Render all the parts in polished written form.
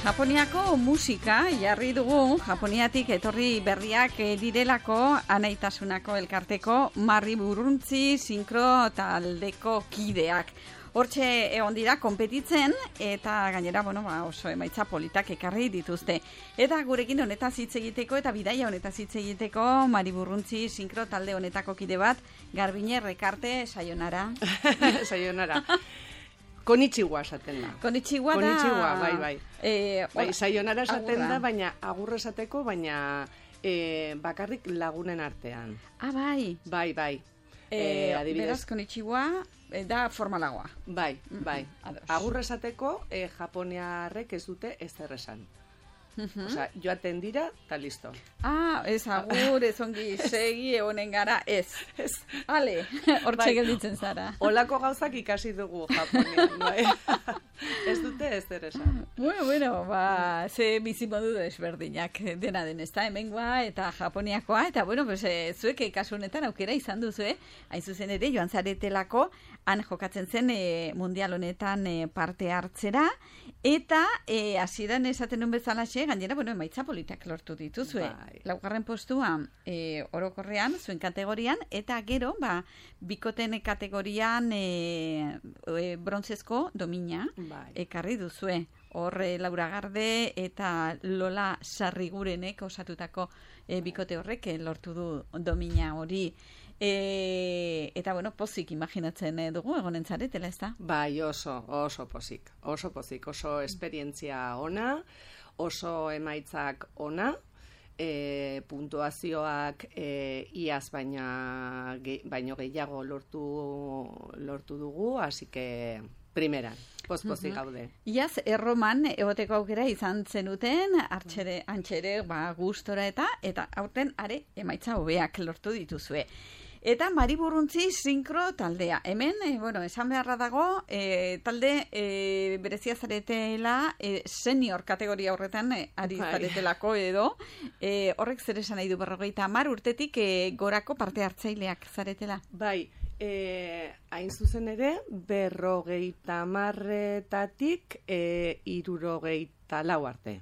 Japoniako musika jarri dugu, Japoniatik etorri berriak direlako Anaitasunako elkarteko Marri Burruntzi sinkro taldeko kideak. Hortxe egon dira konpetitzen eta gainera oso emaitza politak ekarri dituzte. Eta gurekin honetaz hitz egiteko eta bidaia honetaz hitz egiteko Marri Burruntzi sinkro talde honetako kide bat, Garbine Rekarte, sayonara. Sayonara. Konnichiwa esaten da. Konnichiwa da. Konnichiwa, bai. Sayonara esaten da, baina agurra esateko, baina bakarrik lagunen artean. Ah, bai. Bai. Beraz, konnichiwa da formalagoa. Bai. Agurra esateko, japoniarrek ez dute ezer esan. Osea, joaten dira, eta listo. Ah, ez agur, ez ongi segi egonen gara, ez. Ale, hortxe gelditzen zara. Olako gauzak ikasi dugu Japonian, bai. Ez dute ez zer esan. Bueno, ze bizimodu desberdinak dena den, ez da, hemengoa eta Japoniakoa, eta zuek kasu honetan aukera izan duzu, hain zuzen ere, joan zaretelako, han jokatzen zen mundial honetan parte hartzera, eta hasieran esaten nuen bezalaxe, gainera, emaitza politak lortu dituzue. Bai. Laugarren postua orokorrean, zuen kategorian, eta gero, bikoten kategorian brontzezko domina ekarri duzue. Hor, Laura Garde eta Lola Sarrigurenek osatutako bikote horrek lortu du domina hori. Eta, pozik imaginatzen dugu egonen zaretela, ez da? Bai, oso pozik. Oso esperientzia ona, oso emaitzak ona, puntuazioak iaz baino gehiago lortu dugu, así que primeran, pospozik gaude. Iaz, erroman egoteko aukera izan zenuten, antxere, gustora eta aurten are emaitza hobeak lortu dituzue. Eta Marri Burruntzi sinkro taldea. Hemen, esan beharra dago, talde berezia zaretela senior kategoria horretan ari zaretelako edo. Horrek zer esan nahi du 50 urtetik gorako parte hartzaileak zaretela. Bai, hain zuzen ere, 50-etatik 64 arte.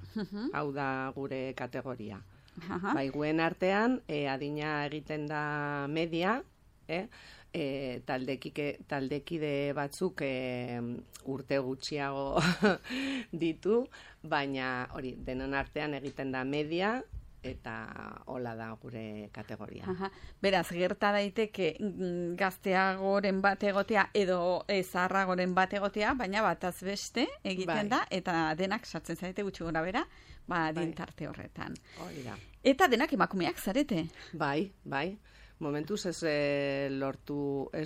Hau da gure kategoria. Bai, guen artean, adina egiten da media, taldekide batzuk urte gutxiago ditu, baina hori, denon artean egiten da media, eta hola da gure kategoria. Beraz, gerta daiteke gazteagoren bat egotea edo zaharragoren bat egotea, baina bataz beste egiten da, eta denak sartzen zarete gutxi gora bera, dintarte horretan. Hori da. Eta denak emakumeak zarete? Bai. Momentuz ez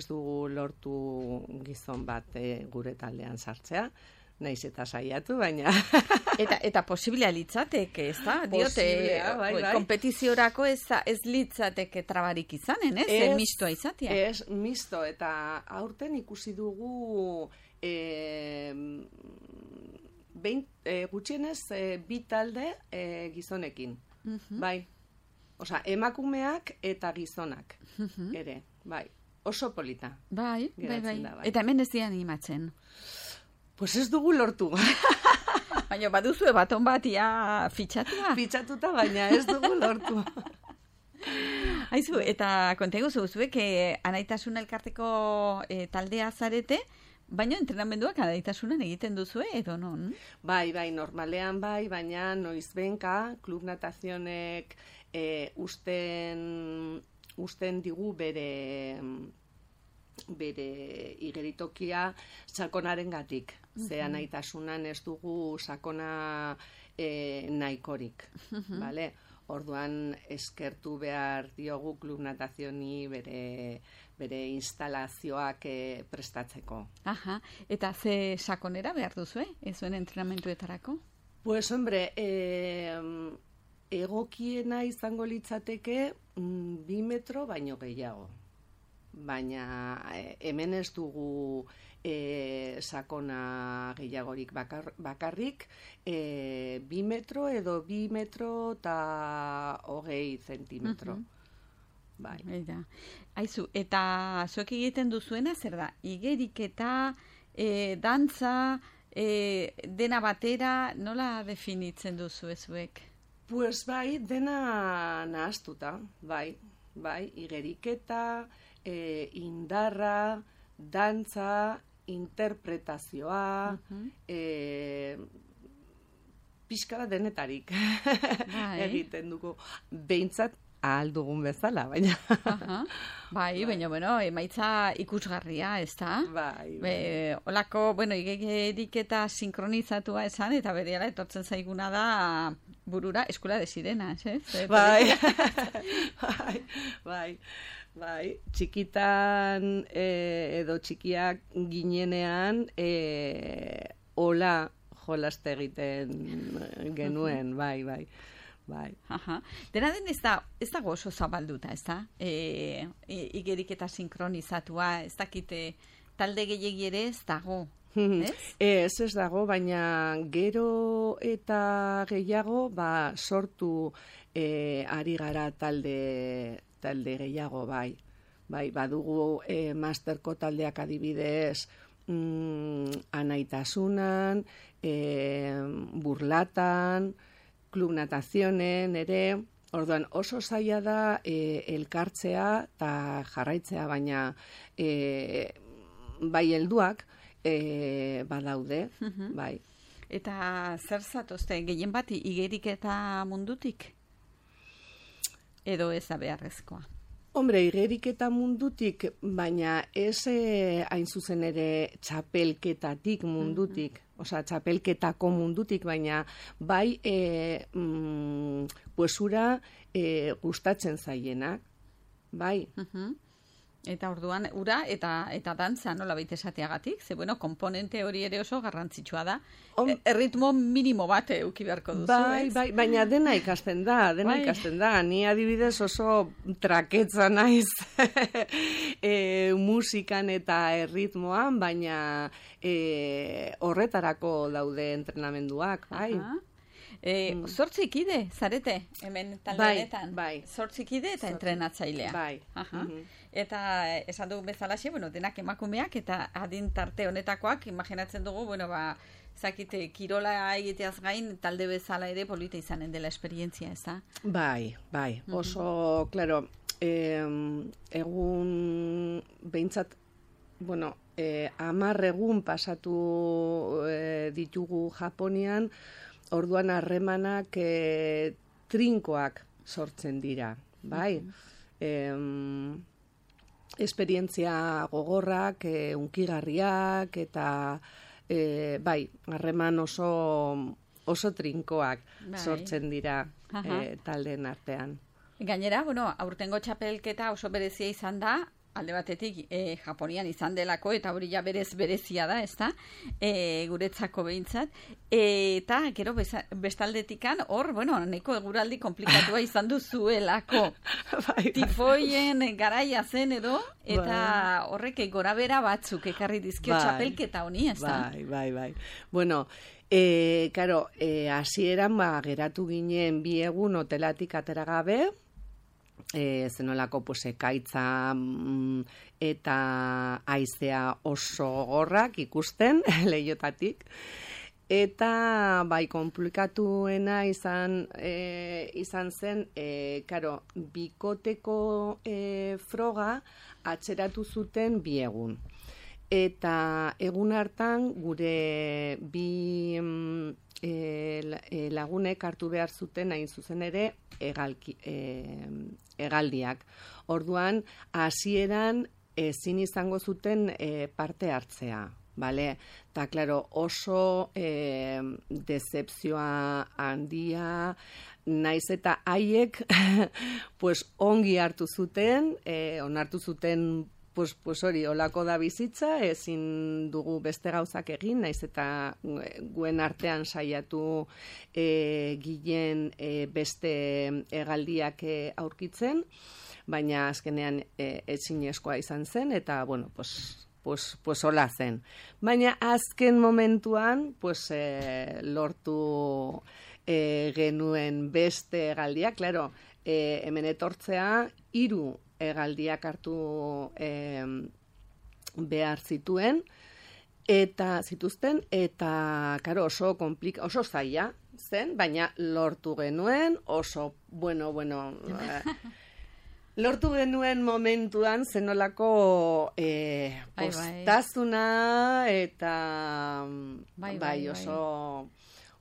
dugu lortu gizon bat gure taldean sartzea, naiz eta saiatu, baina... Eta posiblea litzateke, ez da? Diote, kompetiziorako ez litzateke trabarik izanen, ez? Mistoa izatea. Ez, misto, eta aurten ikusi dugu gutxienez bi talde gizonekin. Bai. Osa, emakumeak eta gizonak ere, bai. Oso polita. Bai. Eta hemen ez dian animatzen. Pues ez dugu lortu. Baina baduzue baton bat ia fitxatua? Fitxatuta, baina ez dugu lortu. Aizu, eta kontegu zuek Anaitasuna elkarteko taldea zarete, baina entrenamenduak anaitasunan egiten duzue, edo non? Bai, normalean bai, baina noizbenka, klub natazionek usten digu bere igeritokia sakonaren gatik. Ze anaitasunan ez dugu sakona nahikorik. Bale? Orduan eskertu behar diogu klub natazioni bere instalazioak prestatzeko. Eta ze sakonera behar duzu, zuen entrenamentuetarako? Pues, hombre, egokiena izango litzateke 2 metro baino gehiago. Baina hemen ez dugu sakona gehiagorik bakarrik, 2 metro edo 2 metro eta 20 zentimetro. Bai. Aizu, eta zuek egiten duzuena zer da? Igeriketa, dantza, dena batera, nola definitzen duzu ezuek? Pues bai, dena nahaztuta, bai, igeriketa, indarra, dantza, interpretazioa, pixka bat denetarik egiten dugu. Behintzat ahal dugun bezala, baina. Bai, baina, bueno, emaitza ikusgarria, ez da? Bai. Olako, bueno, igeriketa sinkronizatua esan, eta berehala etortzen zaiguna da burura Escuela de Sirenas, ez? Bai, txikitan edo txikiak ginenean hola jolaste egiten genuen, bai. Dena den ez dago oso zabalduta, ez da? Igeriketa sinkronizatua, ez dakite talde gehiegi ere ez dago, ez? Ez dago, baina gero eta gehiago sortu ari gara talde gehiago, bai. Badugu masterko taldeak adibidez, anaitasunan, burlatan, klub natazionen ere, orduan oso zaila da elkartzea eta jarraitzea, baina bai helduak badaude, bai. Eta zer zatozte, gehien bat igeriketa mundutik? Edo ez da beharrezkoa? Hombre, igeriketa mundutik, baina ez hain zuzen ere txapelketatik mundutik, osea, txapelketako mundutik, baina bai puesura gustatzen zaienak, bai. Eta orduan, ura eta dantza nola baita esateagatik, ze bueno, komponente hori ere oso garrantzitsua da. Erritmo minimo bat euki beharko duzu, bai, baina dena ikasten da. Ni adibidez oso traketza naiz musikan eta erritmoan, baina horretarako daude entrenamenduak, bai. Zortzi kide, zarete, hemen taldeanetan. Bai. Zortzi kide eta entrenatzailea. Bai. Eta esan dugu bezalaxe, bueno, denak emakumeak eta adin tarte honetakoak, imaginatzen dugu, bueno, zakite, kirola egiteaz gain, talde bezala ere polita izanen dela esperientzia, ez da? Bai. Oso, claro, egun behintzat, bueno, 10 egun pasatu ditugu Japonian, orduan harremanak trinkoak sortzen dira, bai? Esperientzia gogorrak, unkigarriak, eta bai, harreman oso trinkoak sortzen dira taldeen artean. Gainera, bueno, aurtengo txapelketa oso berezia izan da, alde batetik Japonian izan delako, eta hori ja berezia da, ez da, guretzako behintzat, eta gero bestaldetikan hor, bueno, neko eguraldi komplikatua izan duzuelako. Tifoien garaia zen edo, eta horrek gorabera batzuk ekarri dizkio txapelketa honi, ez da? Bai. Bueno, karo, hasieran geratu ginen 2 egun hotelatik atera gabe, zenolako ekaitza eta haizea oso gogorrak ikusten lehiotatik, eta bai komplikatuena izan zen, karo, bikoteko froga atzeratu zuten 2 egun. Eta egun hartan gure 2 lagunek hartu behar zuten hain zuzen ere hegaldiak. Orduan, hasieran ezin izango zuten parte hartzea, bale? Ta, klaro, oso decepzioa handia, naiz eta haiek pues, ongi hartu zuten, onartu zuten pues hori, olako da bizitza, ezin dugu beste gauzak egin, naiz eta guen artean saiatu gilen beste hegaldiak aurkitzen, baina azkenean ezinezkoa izan zen, eta, bueno, pues hola zen. Baina azken momentuan, pues lortu genuen beste hegaldiak, klaro, hemen etortzea 3 hegaldiak hartu behar zituen, eta zituzten, eta, karo, oso zaila zen, baina lortu genuen, oso, bueno, lortu genuen momentuan zenolako postazuna, eta bai, oso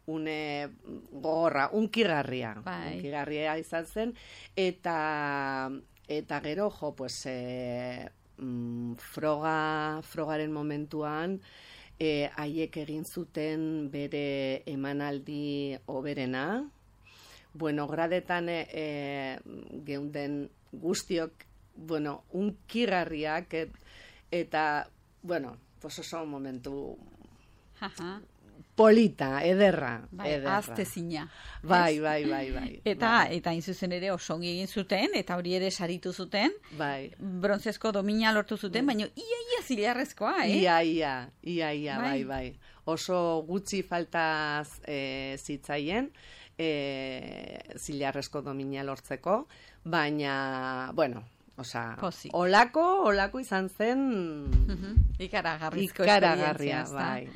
une gogorra, unkigarria izan zen, eta gero, jo, pues, frogaren momentuan, haiek egin zuten bere emanaldi hoberena. Bueno, gradetan geunden guztiok, bueno, unkigarriak, eta, bueno, pues oso momentu polita, ederra. Aztezina. Bai. Eta inzuzen ere oso ongi egin zuten, eta hori ere saritu zuten. Bai. Brontzezko domina lortu zuten, baina ia zilarrezkoa, Ia, bai. Oso gutxi faltaz zitzaien, zilarrezko domina lortzeko, baina, bueno, olako izan zen ikaragarrizko ikaragarria, bai.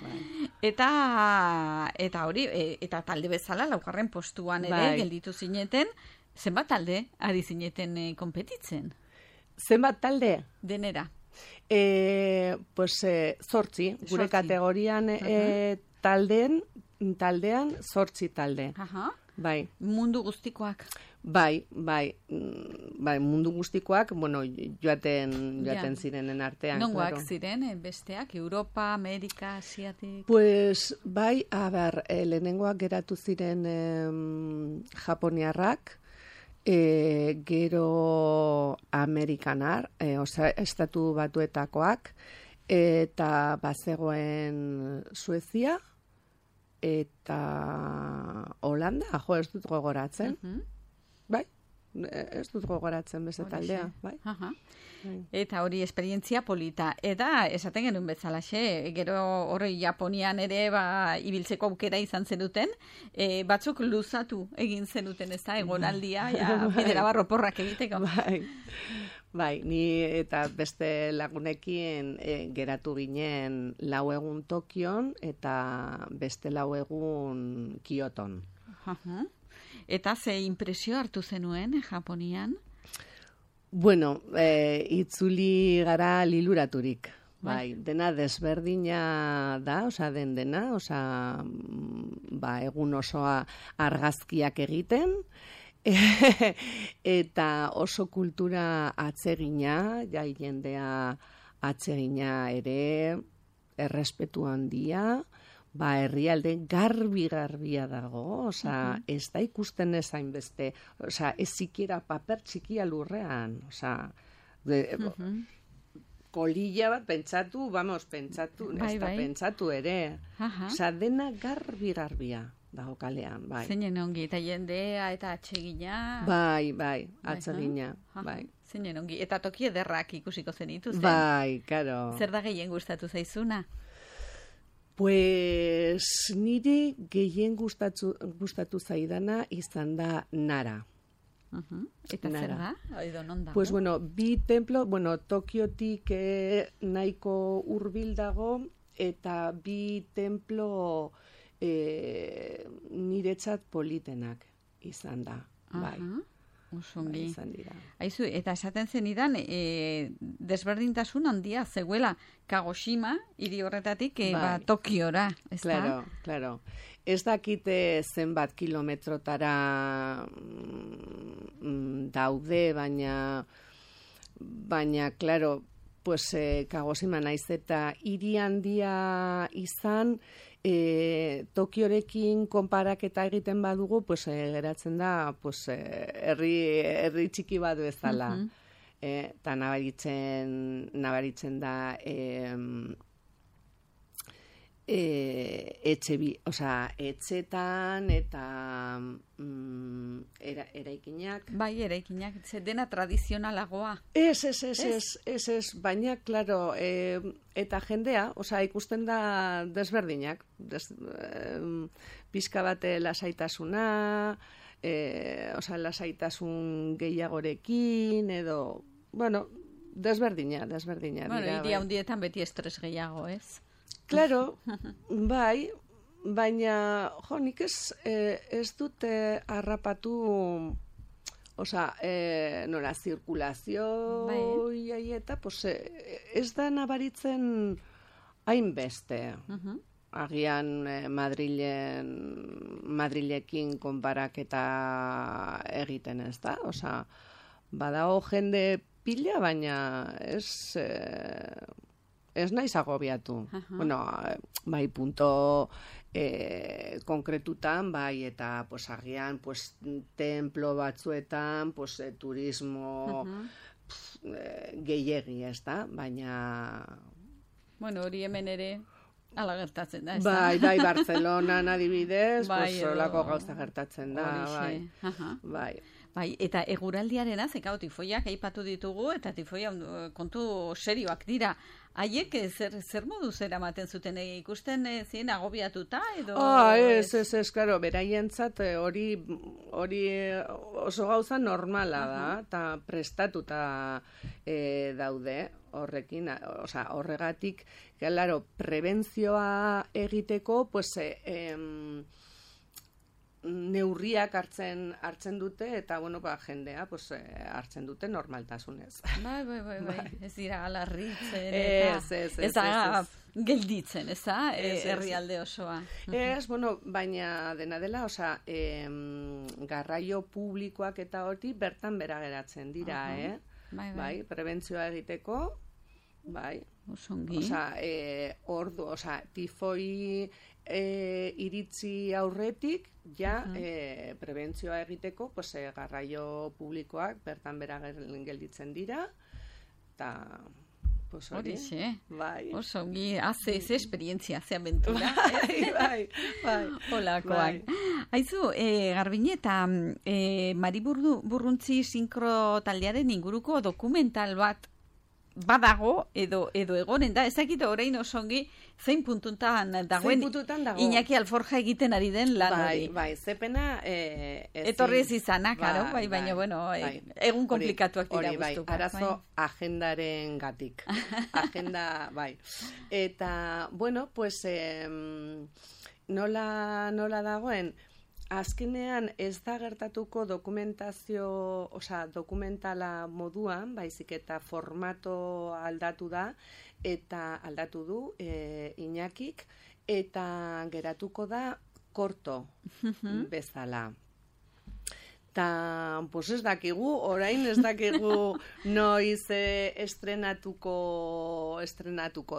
Eta hori, eta talde bezala, laugarren postuan ere gelditu zineten, zenbat talde ari zineten konpetitzen? Zenbat talde? Denera. Pues, zortzi. Gure kategorian taldean zortzi talde. Bai. Mundu guztikoak? Bai, mundu guztikoak, bueno, joaten zirenen artean. Nongoak ziren, besteak, Europa, Amerika, Asiatik? Pues, bai, lehenengoak geratu ziren japoniarrak, gero amerikanar, estatu batuetakoak, eta bazegoen Suezia, eta Holanda, ez dut gogoratzen. Bai, ez dut gogoratzen beste taldea, bai. Eta hori esperientzia polita. Eta esaten genuen bezalaxe, gero hori Japonian ere ibiltzeko aukera izan zenuten, batzuk luzatu egin zenuten, ez da, egonaldia, bidera barroporrak egiteko. Bai, ni eta beste lagunekin geratu ginen 4 egun Tokion eta beste 4 egun Kyoton. Eta ze impresio hartu zenuen Japonian? Bueno, itzuli gara liluraturik. Bai, dena desberdina da, dena, egun osoa argazkiak egiten, eta oso kultura atsegina, jendea atsegina ere, errespetu handia, herrialde garbia dago, ez da ikusten ezain beste, ez sikiera paper txikia lurrean, kolilla bat pentsatu ere, dena garbia dago kalean, bai. Zeinen ongi, eta jendea, eta atsegina. Bai, atsegina, bai. Zeinen ongi, eta toki ederrak ikusiko zenituzten. Bai, karo. Zer da gehien gustatu zaizuna? Pues niri gehien gustatu zaidana izan da Nara. Eta zer da? Edo non dago? Pues bueno, bi templo, Tokiotik nahiko hurbil dago, eta bi templo niretzat politenak izan da. Bai. Osongi. Izan dira. Aizu, eta esaten zenidan, desberdintasun handia zegoela Kagoshima, hiri horretatik, Tokiora, ez da? Claro. Ez dakite zenbat kilometrotara daude, baina, claro, pues, Kagoshima naiz eta hiri handia izan, Tokiorekin konparaketa egiten badugu, pues, geratzen da, pues, herri txiki bat bezala. Eta nabaritzen da etxetan eta eraikinak. Bai, eraikinak, dena tradizionalagoa. Ez, baina, klaro, eta jendea, ikusten da desberdinak, pizka bat lasaitasuna, lasaitasun gehiagorekin, edo, bueno, desberdina. Bueno, hiri handietan beti estres gehiago, ez? Claro, bai, baina, jo, nik ez dute harrapatu, nola, zirkulazio eta, pues, ez da nabaritzen hainbeste. Agian Madrilekin konparaketa egiten ez da, badago jende pila, baina ez naiz agobiatu. Bueno, bai, punto konkretutan, bai, eta agian templo batzuetan, turismo gehiegi, ez da, baina... Bueno, hori hemen ere ala gertatzen da, ez da? Bai, Bartzelonan adibidez, solako gauza gertatzen da, bai. Bai, eta eguraldiarena, zekau tifoiak aipatu ditugu, eta tifoia kontu serioak dira. Haiek zer modu zer amaten zuten, ikusten ziren agobiatuta edo... Ez, klaro, beraientzat hori oso gauza normala da, eta prestatuta daude horrekin, horregatik, claro, prebentzioa egiteko, neurriak hartzen dute, eta, jendea hartzen dute normaltasunez. Bai. Ez dira alarritzen, ez da gelditzen, ez da, herrialde osoa. Baina dena dela, garraio publikoak eta hori bertan bera geratzen dira, bai, prebentzioa egiteko, bai. Osongi. Tifoi iritzi aurretik, prebentzioa egiteko, garraio publikoak bertan bera gelditzen dira, eta... Horixe, bai. Osongi, haze esperientzia, ze aventura. Bai. Olakoak. Haizu, Garbine, eta Mariburruntzi sinkro taldearen inguruko dokumental bat badago edo egonen da, ezakit orain osongi zein puntutan dagoen Iñaki Alforja egiten ari den lan hori. Bai, zepena... Etorri ez izana, karo, baina, egun komplikatuak dira guztu. Arazo agendaren gatik. Agenda, bai. Eta, nola dagoen, azkenean ez da gertatuko dokumentala moduan, baizik eta formato aldatu da, eta aldatu du Iñakik, eta geratuko da korto bezala. Ta, ez dakigu, orain ez dakigu noiz estrenatuko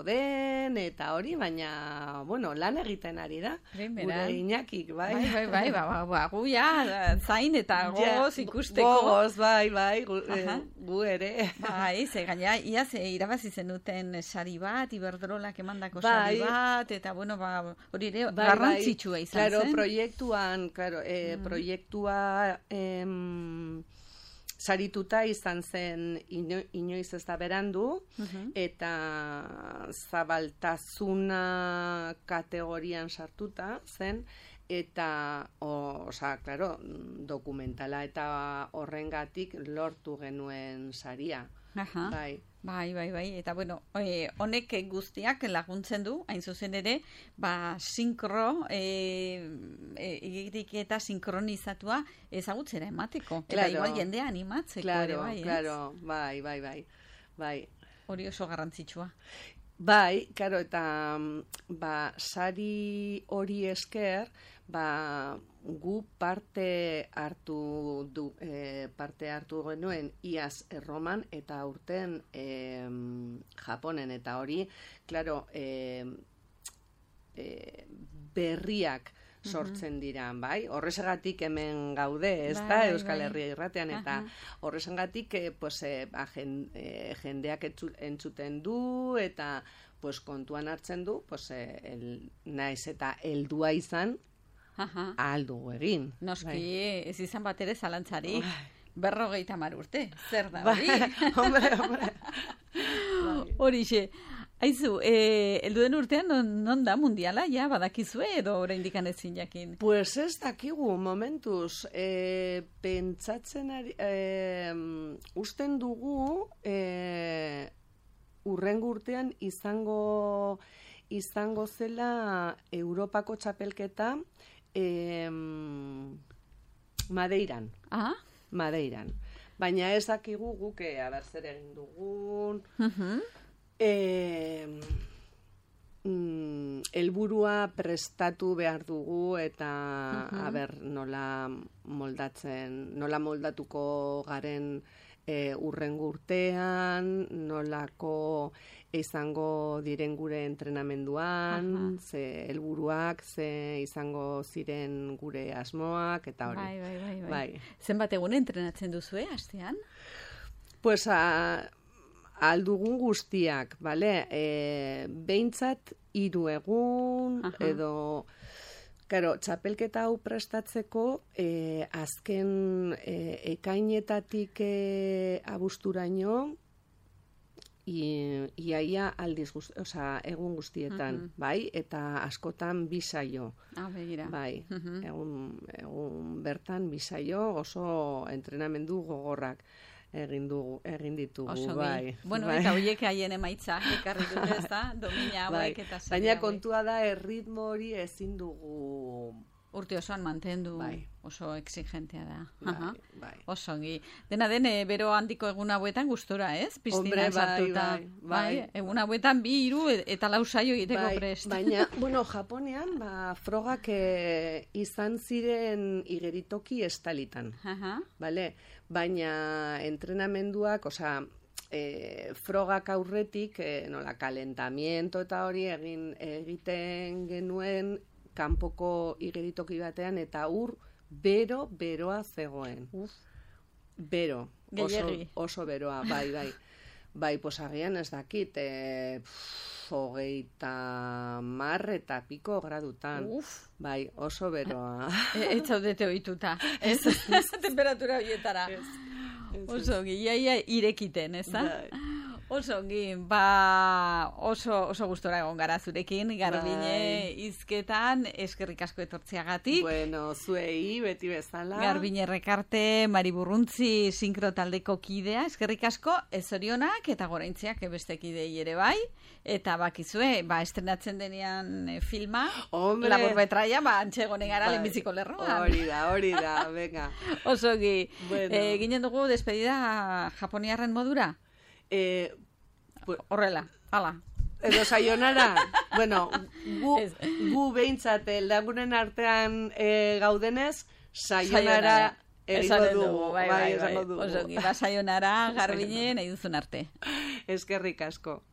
den, eta hori, baina, lan egiten ari da, gure Iñakik, bai. Bai, guia, zain eta gogoz ikusteko. Gogoz, bai, gu ere. Bai, gaina, iaz, irabazi zenuten sari bat, Iberdrolak emandako sari bat, eta, hori ere, garrantzitsua izan zen. Claro, proiektua sarituta izan zen inoiz ez da berandu, eta zabaltasuna kategorian sartuta zen, eta, dokumentala eta horrengatik lortu genuen saria. Bai, eta honek guztiak laguntzen du, hain zuzen ere, sinkro, egirik eta sinkronizatua ezagutzera emateko. Eta igual jendea animatzeko ere, bai, bai. Hori oso garrantzitsua. Bai, karo, eta sari hori esker, gu parte hartu genuen iaz Erroman eta aurten Japonen, eta hori, klaro, berriak sortzen dira, bai? Horrezagatik hemen gaude, ez da, Euskal Herria Irratean, eta horrezagatik jendeak entzuten du, eta kontuan hartzen du, naiz eta heldua izan, ahal dugu egin. Noski, ez izan bat ere zalantzari, 50 urte, zer da hori? Hombre. Horixe. Aizu, helduen urtean non da mundiala, badakizue edo oraindik ezin jakin? Pues ez dakigu, momentuz, pentsatzen ari, usten dugu, urrengo urtean izango izango zela Europako txapelketa Madeiran. Ah? Madeiran. Baina ez dakigu guk, zer egin dugun, helburua prestatu behar dugu eta nola moldatuko garen urrengo urtean, nolako izango diren gure entrenamenduan, ze helburuak, ze izango ziren gure asmoak, eta hori. Bai. Zenbat egun entrenatzen duzue, astean? Pues, aldugun guztiak, bale? Behintzat 3 egun, edo... Karo, txapelketa hau prestatzeko, azken ekainetatik abusturaino, iaia aldiz, egun guztietan, bai? Eta askotan 2 saio. Begira. Bai, egun bertan 2 saio, oso entrenamendu gogorrak egin ditugu, bai. Bueno, eta horiek haien emaitza, ekarri dute, ez da, domina hauek eta zer. Baina kontua da, erritmo hori ezin dugu... Urte osoan mantendu, oso exigentea da. Bai. Oso ongi. Dena den, bero handiko egun hauetan gustora, ez? Piztinan sartuta. Bai. Egun hauetan 2, 3 eta 4 saio egiteko prest. Baina, bueno, Japonean, frogak izan ziren igeritoki estalitan. Bale? Baina entrenamenduak, frogak aurretik, nola, kalentamiento eta hori egiten genuen kanpoko igeritoki batean, eta beroa zegoen. Bero. Oso beroa, bai. Bai, posagian ez dakit, 30 eta piko gradutan. Bai, oso beroa. Ez zaudete ohituta. Ez temperatura horietara. Oso ongi, iaia irekiten, ez da? Oso ongi, oso gustora egon gara zurekin, Garbine hizketan, eskerrik asko etortzeagatik. Bueno, zuei, beti bezala. Garbine Rekarte, Mari Burruntzi sinkro taldeko kidea, eskerrik asko, ezorionak eta goraintziak beste kidei ere bai. Eta bakizue, estrenatzen denean filma, labur betraia, antxegone gara lehenbiziko lerroan. Hori da, venga. Oso ongi, ginen dugu despedida japoniarren modura? Horrela, hala. Edo sayonara, bueno, gu behintzat lagunen artean gaudenez, sayonara egingo dugu. Bai. Oso ongi, sayonara, Garbine, nahi duzun arte. Eskerrik asko.